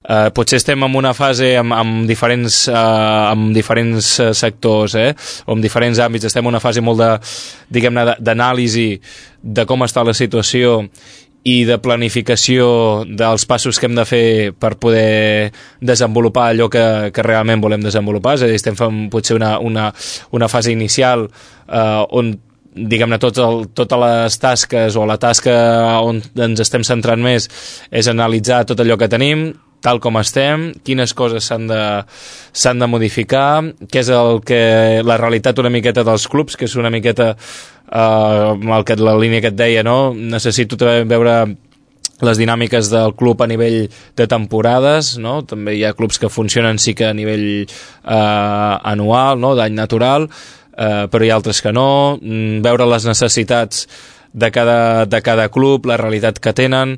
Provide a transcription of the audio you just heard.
Potser estem en una fase amb diferents sectors, o amb diferents àmbits, estem en una fase molt d'anàlisi de com està la situació i de planificació dels passos que hem de fer per poder desenvolupar allò que realment volem desenvolupar. És a dir, estem fent potser una fase inicial on diguem-ne totes les tasques o la tasca on ens estem centrant més és analitzar tot allò que tenim, tal com estem, quines coses s'han de modificar, què és la realitat una miqueta dels clubs, que és una miqueta la línia que et deia, no? Necessito també veure les dinàmiques del club a nivell de temporades, no? També hi ha clubs que funcionen sí que a nivell anual, no? D'any natural, però hi ha altres que no, veure les necessitats de cada club, la realitat que tenen,